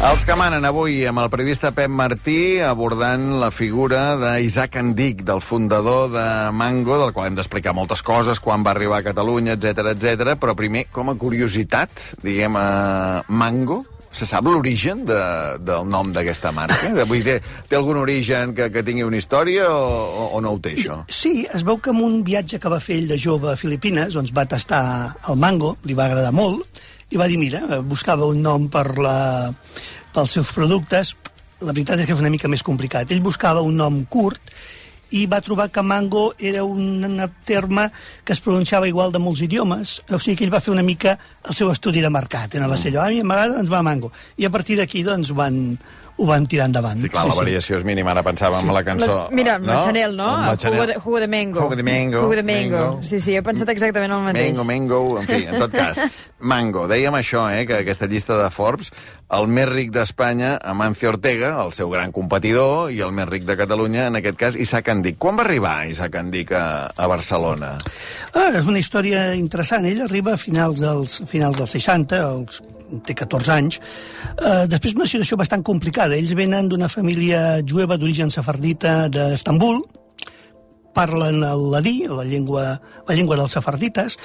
Els que manen avui amb el periodista Pep Martí abordant la figura d'Isaac Andic, del fundador de Mango, del qual hem d'explicar moltes coses, quan va arribar a Catalunya, etc. Però primer, com a curiositat, diguem, Mango, se sap l'origen del nom d'aquesta marca? Vull dir, té algun origen que tingui una història o no ho té, això? Sí, es veu que en un viatge que va fer ell de jove a Filipines, doncs va tastar el mango, li va agradar molt, i va dir, mira, buscava un nom pels seus productes. La veritat és que és una mica més complicat. Ell buscava un nom curt i va trobar que mango era un terme que es pronunciava igual de molts idiomes, o sigui que ell va fer una mica el seu estudi de mercat. Va ser allò, a mi m'agrada, doncs va mango. I a partir d'aquí, doncs, ho van tirar endavant. Sí, clar, la variació és mínima. Ara pensàvem en la cançó... Mira, amb la Chanel, no? Jugo de mango. Jugo de mango. Jugo de mango. Sí, he pensat exactament el mateix. Mango, en fi, en tot cas. Mango. Dèiem això, que aquesta llista de Forbes, el més ric d'Espanya, Amancio Ortega, el seu gran competidor, i el més ric de Catalunya, en aquest cas, Isaac Andic. Quan va arribar Isaac Andic a Barcelona? És una història interessant. Ell arriba a finals dels 60, té 14 anys. Després una situació bastant complicada. Ells venen d'una família jueva d'origen sefardita d'Estambul, parlen el ladí, la llengua dels sefardites,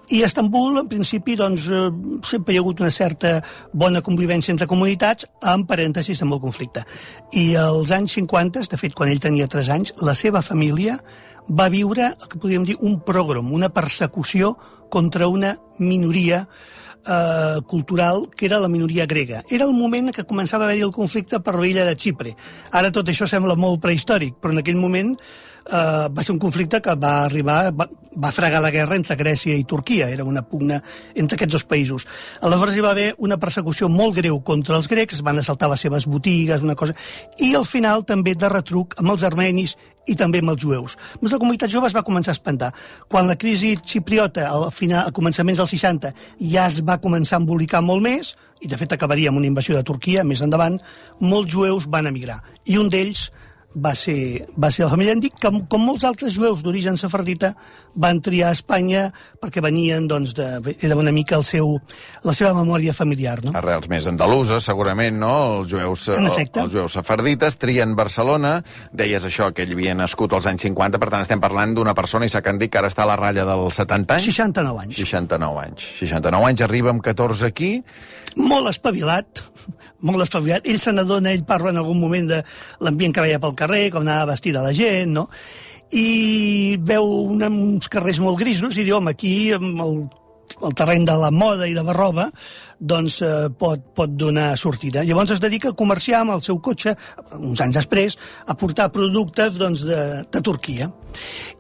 i a Estambul, en principi, doncs, sempre hi ha hagut una certa bona convivència entre comunitats, amb parèntesis, amb el conflicte. I als anys 50, de fet, quan ell tenia 3 anys, la seva família va viure el que podríem dir un pogrom, una persecució contra una minoria cultural, que era la minoria grega. Era el moment que començava a haver-hi el conflicte per l'illa de Xipre. Ara tot això sembla molt prehistòric, però en aquell moment va ser un conflicte que va fregar la guerra entre Grècia i Turquia. Era una pugna entre aquests dos països. Aleshores hi va haver una persecució molt greu contra els grecs, van assaltar les seves botigues, una cosa, i al final també de retruc amb els armenis i també amb els jueus. Doncs la comunitat jove es va començar a espantar. Quan la crisi xipriota, a començaments dels 60, ja es va començar a embolicar molt més, i de fet acabaria amb una invasió de Turquia més endavant, molts jueus van emigrar. I un d'ells va ser la família Andic, que, com molts altres jueus d'origen sefardita, van triar a Espanya perquè venien, doncs, era una mica la seva memòria familiar, no? Arrels més andaluses, segurament, no? Els jueus sefardites trien Barcelona. Deies això, que ell havia nascut als anys 50, per tant estem parlant d'una persona, Isaac Andic, que ara està a la ratlla dels 70 anys? 69 anys. 69 anys, arriba amb 14 aquí. Molt espavilat. Ell se n'adona, ell parla en algun moment de l'ambient que veia pel carrer, com anava vestida la gent, no? I veu uns carrers molt grisos i diu, home, aquí, el terreny de la moda i de la roba, doncs pot donar sortida. Llavors es dedica a comerciar amb el seu cotxe, uns anys després, a portar productes, doncs, de Turquia.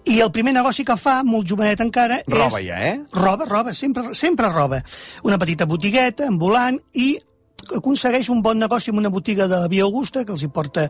I el primer negoci que fa, molt jovenet encara, roba ja, Roba, sempre roba. Una petita botigueta, ambulant, i aconsegueix un bon negoci amb una botiga de la Via Augusta, que els hi porta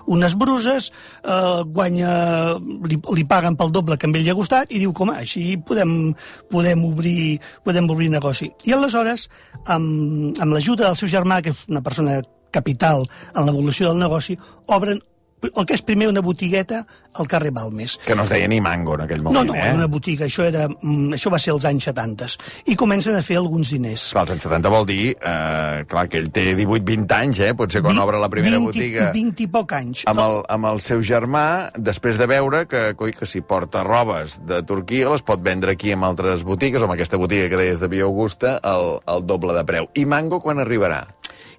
unes bruses, li paguen pel doble que a ell li ha costat, i diu, com, així podem obrir negoci. I aleshores, amb l'ajuda del seu germà, que és una persona capital en l'evolució del negoci, obren el que és primer una botigueta al carrer Balmes. Que no es deia ni Mango en aquell moment, No, era una botiga, això va ser als anys 70. I comencen a fer alguns diners. Clar, als anys 70 vol dir, clar, que ell té 18-20 anys, potser quan obre la primera botiga... 20 i poc anys. Amb el seu germà, després de veure que si porta robes de Turquia les pot vendre aquí en altres botigues, o amb aquesta botiga que deies de Via Augusta, al doble de preu. I Mango quan arribarà?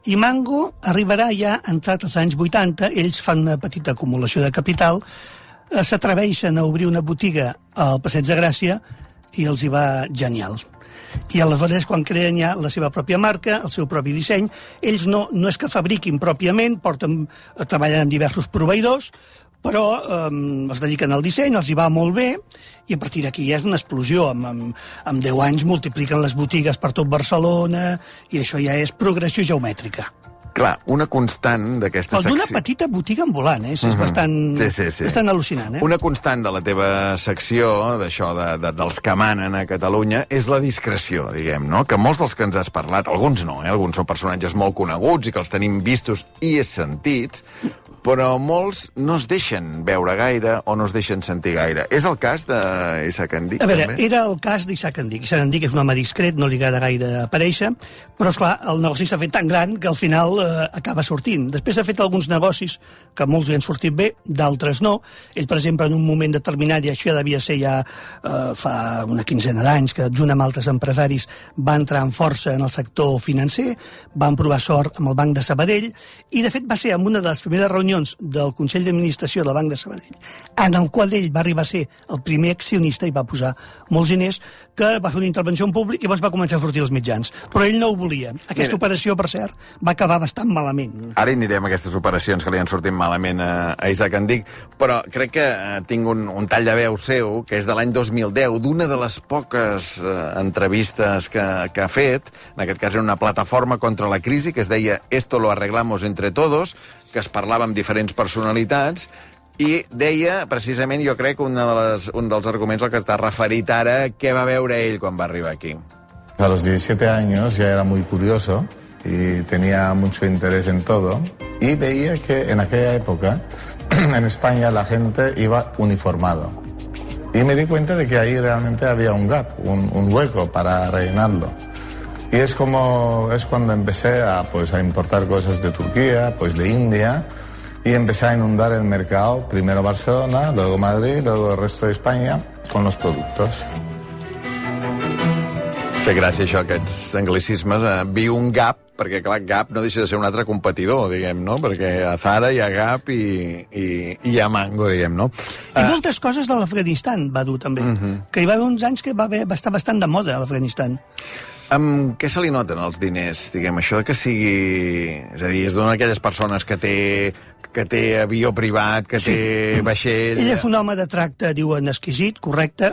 I Mango arribarà ja entrat als anys 80, ells fan una petita acumulació de capital, s'atreveixen a obrir una botiga al Passeig de Gràcia i els hi va genial. I aleshores, quan creen ja la seva pròpia marca, el seu propi disseny, ells no és que fabriquin pròpiament, treballen amb diversos proveïdors, però es dediquen al disseny, els hi va molt bé, i a partir d'aquí ja és una explosió. Amb 10 anys multipliquen les botigues per tot Barcelona, i això ja és progressió geomètrica. Clar, una constant d'aquesta secció... D'una petita botiga ambulant, és bastant al·lucinant. Una constant de la teva secció, d'això, dels que manen a Catalunya, és la discreció, diguem, no? Que molts dels que ens has parlat, alguns no, alguns són personatges molt coneguts i que els tenim vistos i sentits, però molts no es deixen veure gaire o no es deixen sentir gaire. És el cas d'Isaac Andic, també? A veure, era el cas d'Isaac Andic. Isaac Andic és un home discret, no li agrada gaire aparèixer, però, esclar, el negoci s'ha fet tan gran que al final acaba sortint. Després ha fet alguns negocis que molts li han sortit bé, d'altres no. Ell, per exemple, en un moment determinat, i això devia ser ja fa una quinzena d'anys, que junt amb altres empresaris va entrar amb força en el sector financer, van provar sort amb el Banc de Sabadell, i de fet va ser en una de les primeres reunions del Consell d'Administració del Banc de Sabadell, en el qual ell va arribar a ser el primer accionista i va posar molts diners, que va fer una intervenció en públic i llavors va començar a sortir als mitjans. Però ell no ho volia. Aquesta operació, per cert, va acabar bastant malament. Ara anirem a aquestes operacions que li han sortit malament a Isaac Andic, però crec que tinc un tall de veu seu, que és de l'any 2010, d'una de les poques entrevistes que ha fet, en aquest cas era una plataforma contra la crisi, que es deia Esto lo arreglamos entre todos, que es parlava amb diferents personalitats, i deia, precisament, jo crec, un dels arguments al que està referit ara, què va veure ell quan va arribar aquí. A los 17 años ya era muy curioso y tenía mucho interés en todo, y veía que en aquella época en España la gente iba uniformado. Y me di cuenta de que ahí realmente había un gap, un hueco para rellenarlo. Y es cuando empecé a importar cosas de Turquía, de India, y empecé a inundar el mercado, primero Barcelona, luego Madrid, luego el resto de España, con los productos. Fer gràcia, això, aquests anglicismes. Viu un Gap, perquè, clar, Gap no deixa de ser un altre competidor, diguem, no? Perquè a Zara hi ha Gap i hi ha Mango, diguem, no? I moltes coses de l'Afganistan va dur, també. Que hi va haver uns anys que va estar bastant de moda, a l'Afganistan. Amb què se li noten els diners, diguem, això que sigui... És a dir, és d'una d'aquelles persones que té avió privat, que té vaixell... Ell és un home de tracte, diuen, exquisit, correcte,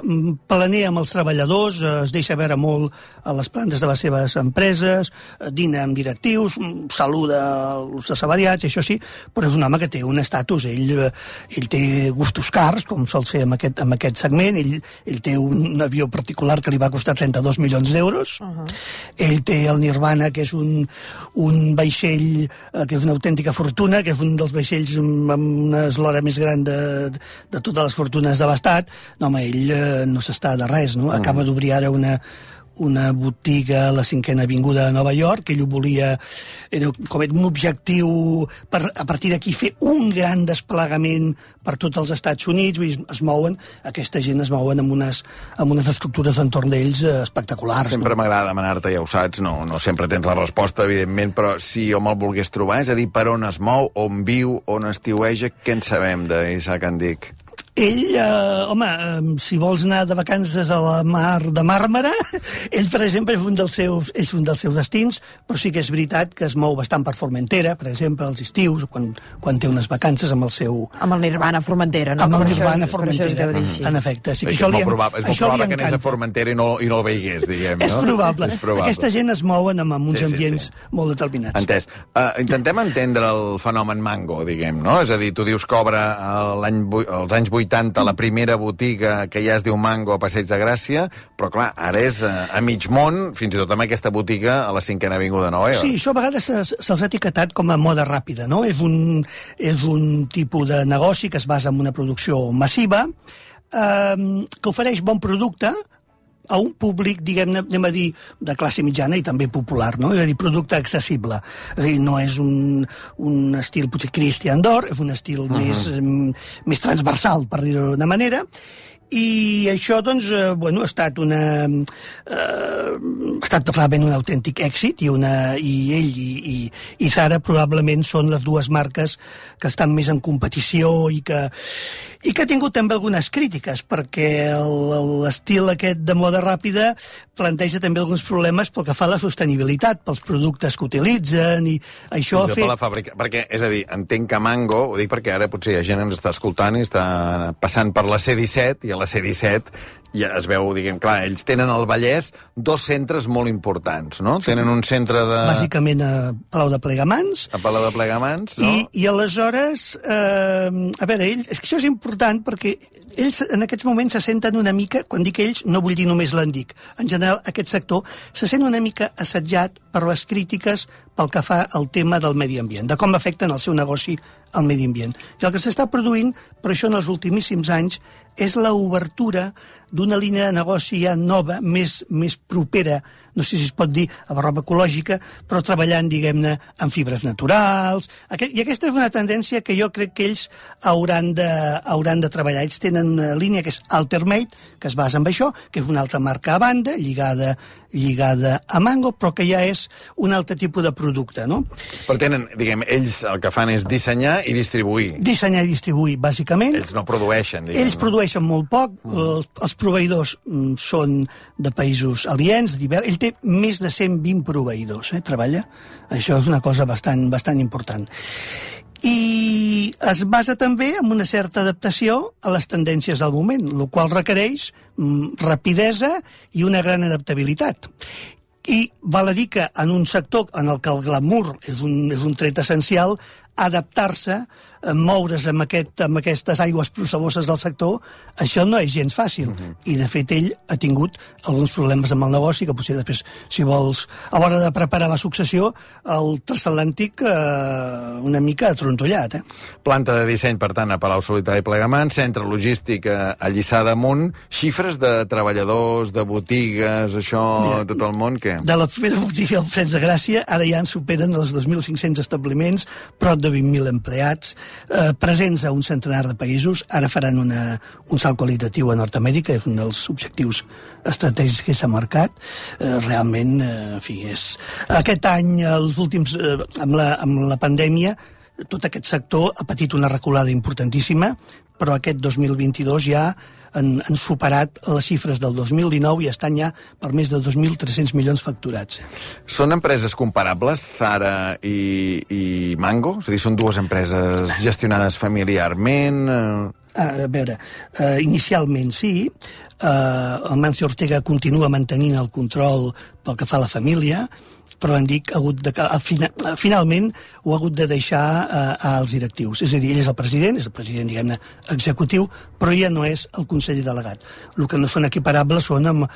planea amb els treballadors, es deixa veure molt a les plantes de les seves empreses, dina amb directius, saluda els assalariats, això sí, però és un home que té un estatus, ell té gustos cars, com sol ser en aquest segment, ell té un avió particular que li va costar 32 milions d'euros, ell té el Nirvana, que és un vaixell que és una autèntica fortuna, que és un dels vaixells amb una eslora més gran de totes les fortunes de l'Estat. No, home, ell no s'està de res, no? Acaba d'obrir ara una botiga a la 5a Avinguda de Nova York, que ell ho volia, era com un objectiu per, a partir d'aquí, fer un gran desplegament per tots els Estats Units. Vull dir, aquesta gent es mouen amb unes estructures d'entorn d'ells espectaculars. Sempre m'agrada demanar-te, ja ho saps, no sempre tens la resposta, evidentment, però si jo me'l volgués trobar, és a dir, per on es mou, on viu, on estiueja, què en sabem d'Isaac Andic? Ell, si vols anar de vacances a la mar de Màrmara, ell, per exemple, és un dels seus destins, però sí que és veritat que es mou bastant per Formentera, per exemple, als estius, quan té unes vacances amb el seu... Amb el Nirvana Formentera, no? Amb el Nirvana Formentera, en efecte. Sí, és molt probable que anés a Formentera i no el veiés, diguem, no? És probable. Aquesta gent es mouen amb uns ambients molt determinats. Entès. Intentem entendre el fenomen Mango, diguem, no? És a dir, tu dius que obre als anys 80 la primera botiga que ja es diu Mango a Passeig de Gràcia, però clar, ara és a mig món, fins i tot amb aquesta botiga a la 5a Avinguda de Nova York. Sí, això a vegades se'ls ha etiquetat com a moda ràpida, no? És un tipus de negoci que es basa en una producció massiva, que ofereix bon producte a un públic, diguem-ne, anem a dir, de classe mitjana i també popular, no? És a dir, producte accessible. És a dir, no és un estil, potser, Christian Dior, és un estil més transversal, per dir-ho d'una manera, i això, doncs, ha estat realment un autèntic èxit, i ell i Zara probablement són les dues marques que estan més en competició i que ha tingut també algunes crítiques, perquè l'estil aquest de moda ràpida planteja també alguns problemes pel que fa a la sostenibilitat, pels productes que utilitzen, i això ha fet... la fàbrica, perquè, és a dir, entenc que Mango, ho dic perquè ara potser hi ha gent que ens està escoltant i està passant per la C-17, i a la C-17 ja es veu, diguem, clar, ells tenen al Vallès dos centres molt importants, no? Sí. Tenen un centre de... Bàsicament a Palau de Plegamans. A Palau de Plegamans, no? I aleshores, a veure, ells... És que això és important perquè ells en aquests moments se senten una mica, quan dic ells, no vull dir només l'Andic, en general aquest sector se sent una mica assetjat per les crítiques pel que fa al tema del medi ambient, de com afecten el seu negoci al medi ambient. I el que s'està produint, per això en els ultimíssims anys, és l'obertura d'una línia de negoci ja nova, més propera, no sé si es pot dir amb roba ecològica, però treballant, diguem-ne, amb fibres naturals. I aquesta és una tendència que jo crec que ells hauran de treballar. Ells tenen una línia que és Altermate, que es basa en això, que és una altra marca a banda, lligada a Mango, però que ja és un altre tipus de producte, no? Però tenen, diguem, ells el que fan és dissenyar i distribuir. Dissenyar i distribuir, bàsicament. Ells no produeixen, diguem. Ells produeixen molt poc, els proveïdors són de països aliens, ell té més de 120 proveïdors, treballa. Això és una cosa bastant important. I es basa també en una certa adaptació a les tendències del moment, el qual requereix rapidesa i una gran adaptabilitat. I val a dir que en un sector en el que el glamour és un tret essencial, adaptar-se, moure's amb aquestes aigües processoses del sector, això no és gens fàcil. I, de fet, ell ha tingut alguns problemes amb el negoci, que potser després, si vols, a l'hora de preparar la successió, el transatlàntic una mica atrontollat. Planta de disseny, per tant, a Palau-solità i Plegamans, centre logístic a Lliçà d'Amunt, xifres de treballadors, de botigues, això, tot el món, què? De la primera botiga al Freds de Gràcia, ara ja en superen els 2.500 establiments, prop de 20.000 empleats, presents a un centenar de països. Ara faran un salt qualitatiu a Nord-Amèrica, és un dels objectius estratègics que s'ha marcat. Realment, en fi, aquest any, els últims, amb la pandèmia, tot aquest sector ha patit una reculada importantíssima, però aquest 2022 ja han superat les xifres del 2019 i estan ja per més de 2.300 milions facturats. Són empreses comparables, Zara i Mango? És a dir, són dues empreses gestionades familiarment? A veure, inicialment sí, el Mancio Ortega continua mantenint el control pel que fa a la família, però han dit que finalment ho ha hagut de deixar als directius. És a dir, ell és el president, diguem-ne, executiu, però ja no és el conseller delegat. El que no són equiparables són amb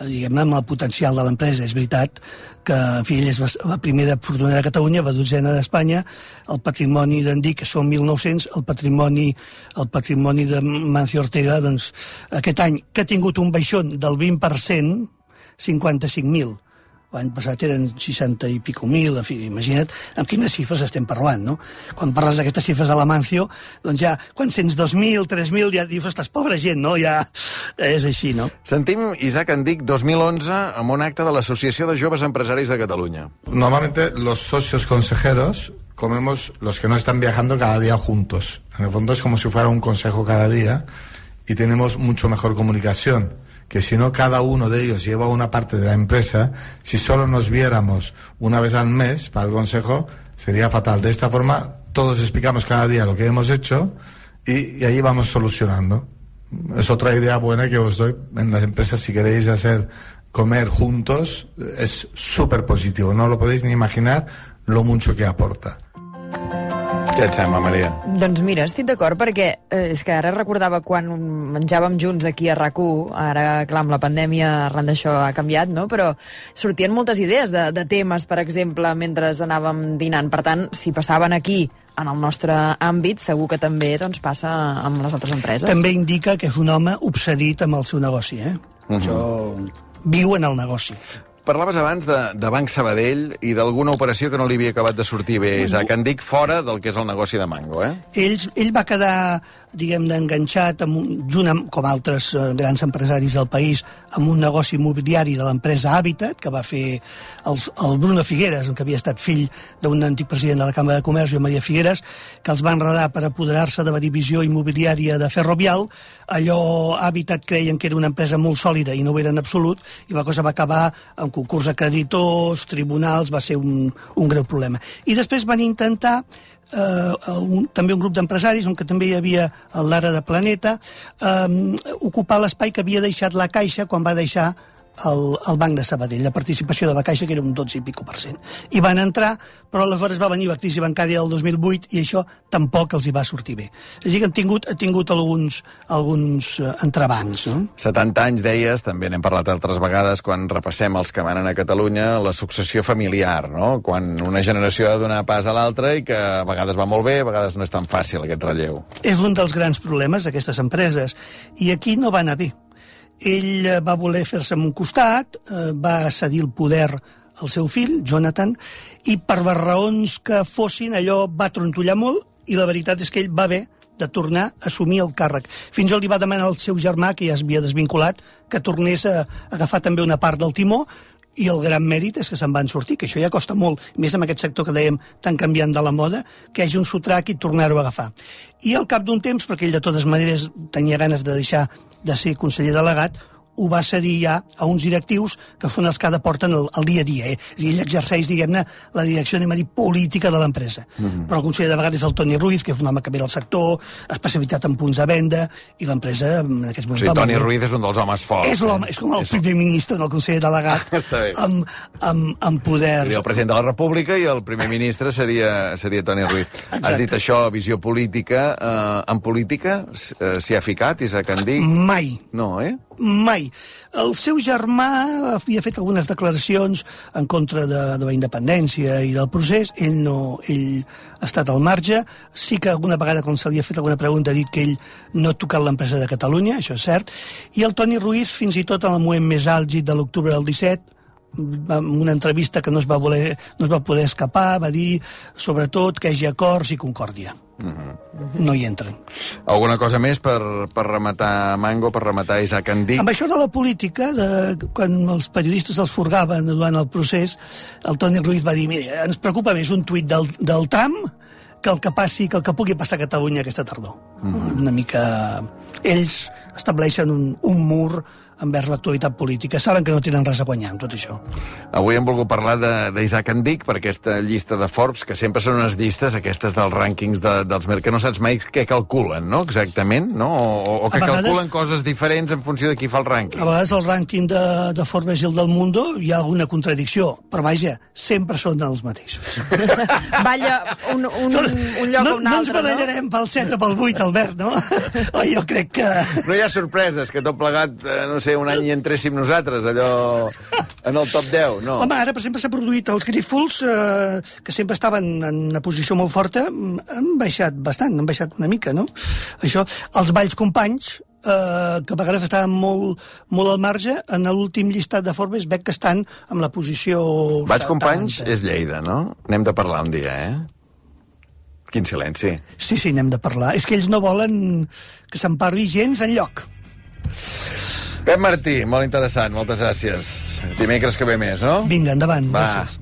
el potencial de l'empresa. És veritat que, en fi, ell és la primera fortunera de Catalunya, la dotzena d'Espanya, el patrimoni d'en Dic són 1.900, el patrimoni de Mancio Ortega, doncs, aquest any, que ha tingut un baixón del 20%, 55.000. L'any passat eren 60 i pico mil, en fi, imagina't amb quines xifres estem parlant, no? Quan parles d'aquestes xifres de la Mancio, doncs ja, quan sents 2.000, 3.000, ja dius, ostres, pobra gent, no? Ja és així, no? Sentim Isaac Andic 2011 amb un acte de l'Associació de Joves Empresaris de Catalunya. Normalmente los socios consejeros comemos los que no están viajando cada día juntos. En el fondo es como si fuera un consejo cada día y tenemos mucho mejor comunicación. Que si no cada uno de ellos lleva una parte de la empresa, si solo nos viéramos una vez al mes para el consejo, sería fatal. De esta forma, todos explicamos cada día lo que hemos hecho y ahí vamos solucionando. Es otra idea buena que os doy en las empresas. Si queréis comer juntos, es súper positivo. No lo podéis ni imaginar lo mucho que aporta. Què et sembla, Maria? Doncs mira, estic d'acord, perquè és que ara recordava quan menjàvem junts aquí a RAC1, ara, clar, amb la pandèmia arran d'això ha canviat, no? Però sortien moltes idees de temes, per exemple, mentre anàvem dinant. Per tant, si passaven aquí, en el nostre àmbit, segur que també doncs, passa amb les altres empreses. També indica que és un home obsedit amb el seu negoci, Això viu en el negoci. Parlaves abans de Banc Sabadell i d'alguna operació que no li havia acabat de sortir bé. Isaac Andic fora del que és el negoci de Mango, Ell va quedar, diguem-ne, enganxat, com altres grans empresaris del país, amb un negoci immobiliari de l'empresa Habitat, que va fer el Bruno Figueras, que havia estat fill d'un antic president de la Cambra de Comerç, Maria Figueras, que els va enredar per apoderar-se de la divisió immobiliària de Ferrovial. Allò Habitat creien que era una empresa molt sòlida i no ho era en absolut, i la cosa va acabar amb concurs de creditors, tribunals, va ser un greu problema. I després van intentar també un grup d'empresaris, on que també hi havia l'Ara de Planeta, ocupar l'espai que havia deixat la Caixa quan va deixar el Banc de Sabadell, la participació de la Caixa, que era un 12 i pico %. I van entrar, però aleshores va venir la crisi bancària del 2008 i això tampoc els hi va sortir bé. És a dir, que ha tingut alguns entrebancs, no? 70 anys, deies, també n'hem parlat altres vegades, quan repassem els que manen a Catalunya, la successió familiar, no? Quan una generació ha de donar pas a l'altra i que a vegades va molt bé, a vegades no és tan fàcil aquest relleu. És un dels grans problemes d'aquestes empreses, i aquí no va anar bé. ell va voler fer-se amb un costat, va cedir el poder al seu fill, Jonathan, i per les raons que fossin allò va trontollar molt, i la veritat és que ell va haver de tornar a assumir el càrrec. Fins i tot li va demanar al seu germà, que ja es havia desvinculat, que tornés a agafar també una part del timó, i el gran mèrit és que se'n van sortir, que això ja costa molt, més amb aquest sector que dèiem tan canviant de la moda, que hi hagi un sotrac i tornar-ho a agafar. I al cap d'un temps, perquè ell de totes maneres tenia ganes de deixar de ser conseller delegat, ho va cedir ja a uns directius que són els que porten el dia a dia. És a dir, ell exerceix, diguem-ne, la direcció, anem a dir, política de l'empresa. Però el conseller de vegades és el Toni Ruiz, que és un home que ve del sector, especialitzat en punts de venda, i l'empresa en aquests moments... Sí, Toni Ruiz és un dels homes forts. És l'home, és com el primer ministre del conseller delegat, amb poder... Seria el president de la República i el primer ministre seria Toni Ruiz. Exacte. Has dit això, visió política. En política s'hi ha ficat, Isaac Andic? Mai. No, Mai. El seu germà havia fet algunes declaracions en contra de la independència i del procés. Ell ha estat al marge. Sí que alguna vegada, quan se li ha fet alguna pregunta, ha dit que ell no ha tocat l'empresa de Catalunya, això és cert. I el Toni Ruiz, fins i tot en el moment més àlgid de l'octubre del 17, en una entrevista que no es va poder escapar, va dir, sobretot, que hi hagi acords i concòrdia. No hi entren. Alguna cosa més per rematar Mango, per rematar Isaac Andic? Amb això de la política, quan els periodistes els furgaven durant el procés, el Toni Ruiz va dir, mira, ens preocupa més un tuit del Trump que el que pugui passar a Catalunya aquesta tardor. Una mica... Ells estableixen un mur envers l'actualitat política. Saben que no tenen res a guanyar amb tot això. Avui hem volgut parlar d'Isaac Andic per aquesta llista de Forbes, que sempre són unes llistes, aquestes dels rànquings dels mercats, que no saps mai què calculen, no?, exactament, no? O que calculen coses diferents en funció de qui fa el rànquing. A vegades el rànquing de Forbes i el del Mundo hi ha alguna contradicció, però vaja, sempre són els mateixos. Balla un lloc o un altre, no ens barallarem pel 7 o pel 8, Albert, no? Jo crec que... No hi ha sorpreses, que tot plegat, no sé, un any hi entréssim nosaltres, allò en el top 10, no? Home, ara, per exemple, s'ha produït els Grífols, que sempre estaven en una posició molt forta, han baixat bastant, han baixat una mica, no? Això, els Valls Companys, que a vegades estaven molt al marge, en l'últim llistat de Forbes veig que estan en la posició... Valls Companys és Lleida, no? N'hem de parlar un dia, Quin silenci. Sí, n'hem de parlar. És que ells no volen que se'n parli gens enlloc. Pep Martí, molt interessant, moltes gràcies. Dimecres que ve més, no? Vinga, endavant. Va. Gràcies.